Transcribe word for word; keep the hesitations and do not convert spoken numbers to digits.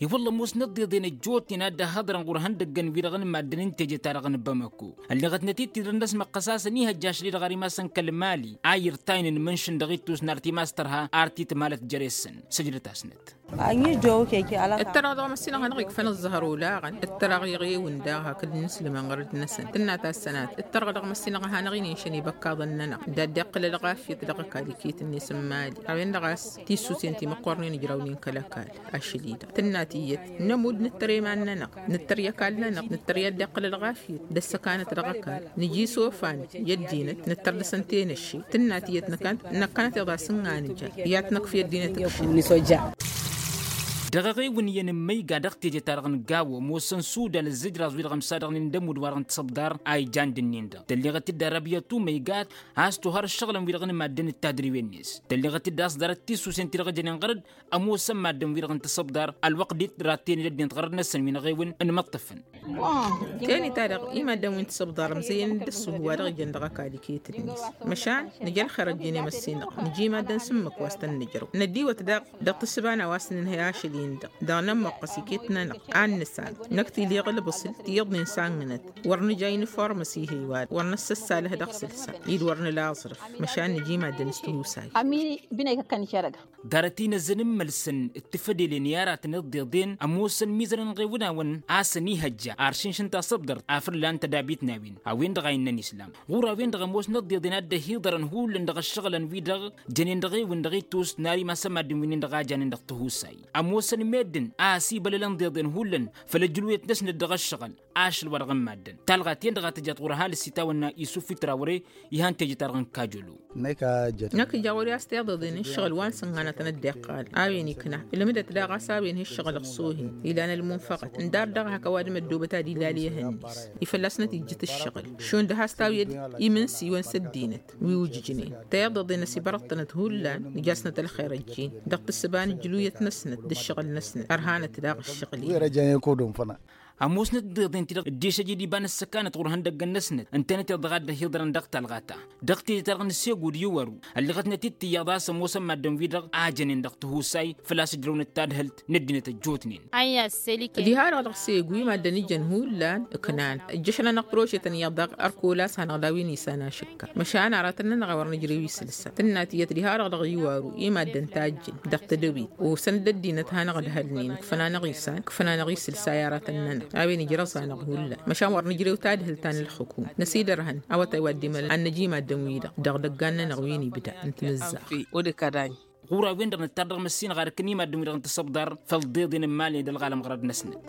I-wălla ămoosnăt d-iḍen ăjjootnen a dd-ăhhăḍrăn ɣur-ihăndăggăn-wi-dăɣ n-maddǝn n-teje-ta-dăɣ n-bamako. Ălleɣătnăt-dd tidrăn-năsmăqqăs a-s ănihăjja ašli-dăɣ ar imass n-kăl-mali a irtaynen mǝnšǝn dăɣ-ittus n-artimas tărha ar titmalăt jere-săn. Sǝjdăt-asnăt. Ǝttăraɣ dăɣ-măssinăɣ hanăɣ-ikfăn ǝẓẓăhăr olaɣăn ǝttăraɣ iɣewǝn daɣ hakd n-inǝslǝmăn ɣărăd-năsăn tǝnna tassănat. Ǝttăraɣ dăɣ-măssinăɣ a hanăɣ-inen šăn ibăkkaḍăn-nănăɣ. Dadd-iqqǝl ălɣafyăt dăɣ-ăkall iket-net n-imali a-wen-dăɣ a-s tisusen ti măqqornen ǝjrawnen kăl-ăkall. Ašăl-i-dăɣ tǝnna tiyyăt nămudd nǝttăr i-iman-nănăɣ, nǝttăr i-ăkall-nănăɣ, nǝttăr i-ad-dd-iqqǝl ălɣafyăt d-ăssăkanăt dăɣ-ăkall. Nǝji isofan i-ăddinăt nǝttăr dăr-săn tenăšše. Tǝnna tiyyăt năkkănăt năkkănăt iḍas n-inganǝja i-ad-t-năkf i-ăddinăt ǝkšǝn. Dăɣ-eɣewǝn iyyăn n-imăyga dăɣ-teje-ta-dăɣ n-gawo ămoosăn sudan ǝzzǝjraẓ-wi-dăɣ ămsadăɣnen d-ămudd wa-dăɣ n-tisăbḍar a ijan d-ǝnnin-dăɣ tălleɣăt-dd arăbiyăt umăygat. A-s tohăr ǝššăɣǝlăn-wi-dăɣ n-maddǝn d-tadriwen-net tălleɣăt-dd a-s ḍarăt tisusen ti-dăɣ jănen ɣărăd. Ămoosăn maddǝn-wi-dăɣ n-tisăbḍar ălwăqq dd-rattăyăn d-ăddinăt ɣărăd-năsăn wi n-eɣewǝn n-imǝṭṭǝfăn. Teni-ta-dăɣ i-maddǝn wi n-tisăbḍar ămzăyăn d-ǝssǝhu wa dăɣ-ijăn dăɣ-ăkall iket-net. Măšan nǝja ălxer ăjjǝn i-măssinăɣ nǝja i-maddǝn s-ǝmmǝk wa s-tăn-nǝjrăw năddiwăt daɣ. Dăɣ-tǝssǝba n-a-wa s-nǝnhăy ašăl-in-dăɣ dăɣ-nămmoqqăs iket-nănăɣ ad-nǝsan. Năkk tiliɣ ǝlbǝsǝl tiyyăḍnen sannănăt wăr nǝja inǝformăs ihăy wa-dăɣ wăr năssăssalăh dăɣ-sǝlsa-i d-wăr nǝla aẓrǝf. Măšan nǝja i-maddǝn s-tihusay. Ḍarăt-i n-ăzzăn n-imălsăn d-tifădelen i-aratăn d-iḍen ămoosăn imizărăn ɣewǝnawăn a-s ănihăjja ar šǝnšǝn tasăbdărt a fălla n-tădabit n-a-wen a-wen-dăɣ a innăn islam. Ɣur-a-wen-dăɣ ămoosnăt d-iḍen a dd-ăhiḍărăn hullan dăɣ-ǝššăɣǝlăn-wi-dăɣ jănen dăɣ-ewǝn dăɣ-ittus n-ar imass n-maddǝn wi-nin-dăɣ a janen dăɣ-tihusay. Ămoosăn meddǝn a ăsibălălăn d-iḍen hullan făll-ăjrǝwet-năsnăt dăɣ-ǝššăɣǝl ašăl wa dăɣ-n maddǝn. Talɣa-ten-dăɣ a tǝjăt ɣur-ăhalǝs itawănna isuf i-trawre. Ihăn teje-ta-dăɣ n-kajălo. Năkk ija ɣur-i a-s tiḍeḍen ǝššăɣǝl wa n-sǝnɣanătăn ăddeqqal a-wen ikna ǝlmǝdăt daɣ a-s a-wen hi-ǝššăɣǝl ăṣṣuhin ilan ălmunfăɣăt ǝndar daɣ hak ăwadǝm ăddoobăt ad-ilal i-ehăn-net. I-fălla-snăt ijjǝt ǝššăɣǝl šund has-tawǝyăd imǝnsiwăn s-ăddinăt wi ujǝjnen. Tiḍeḍen ăsibărăḍ-tănăt hullan ija-snăt ălxer ăjjin dăɣ-tǝssǝba n-ǝjluyăt-năsnăt d-ǝššăɣǝl-năsnăt ărhanăt daɣ ǝššăɣǝl-in. Ămoosnăt d-iḍen ti-dăɣ dd-išăj d-iba n-ăssăkanăt ɣur-ihăndăggăn-năsnăt ǝntănăt iḍăɣ a dd-ăhiḍărăn dăɣ-talɣa ta. Dăɣ-tejăt-ta-dăɣ n-segu d-iwăru ălliɣătnăt-dd tiyyăḍ a-s ămoosăn maddǝn-wi-dăɣ a jănen dăɣ-tihusay făl-a-s ǝjrăwnăt tadhǝlt n-ăddinăt ăjjootnen. Diha-dăɣ dăɣ-segu i-maddǝn ijăn hullan ǝknan ǝjjăšăn-anăɣ prožetăn iyyăḍ daɣ ărkol a-s hanăɣ-daw-in isan ašǝkka. Măšan aratăn-nănăɣ a wăr nǝjrew isǝlsa tǝnna tiyyăt diha-dăɣ dăɣ-iwaru i-maddǝn tajjǝn dăɣ-tedăwit osăn-dd ăddinăt hanăɣ-ǝdhălnen ǝkfăn-anăɣ isan ǝkfăn-anăɣ isǝlsa i-aratăn-nănăɣ. A-wen ǝjrăẓ-anăɣ hullan măšan wăr nǝjrew tadhǝlt ta n-ǝlxǝkum năsidărhăn awătay wa dd-imălăn ad-năj i-maddǝn-wi-dăɣ dăɣ-idăggan-nănăɣ wi n-ibda n-timǝzzaɣt. Ɣur-a-wen-dăɣ nǝttar dăɣ-măssinăɣ ar ǝkn i-maddǝn-wi-dăɣ n-tisăbḍar făll-tiḍeḍen n-imali d-ălɣalăm ɣărăd-năsnăt.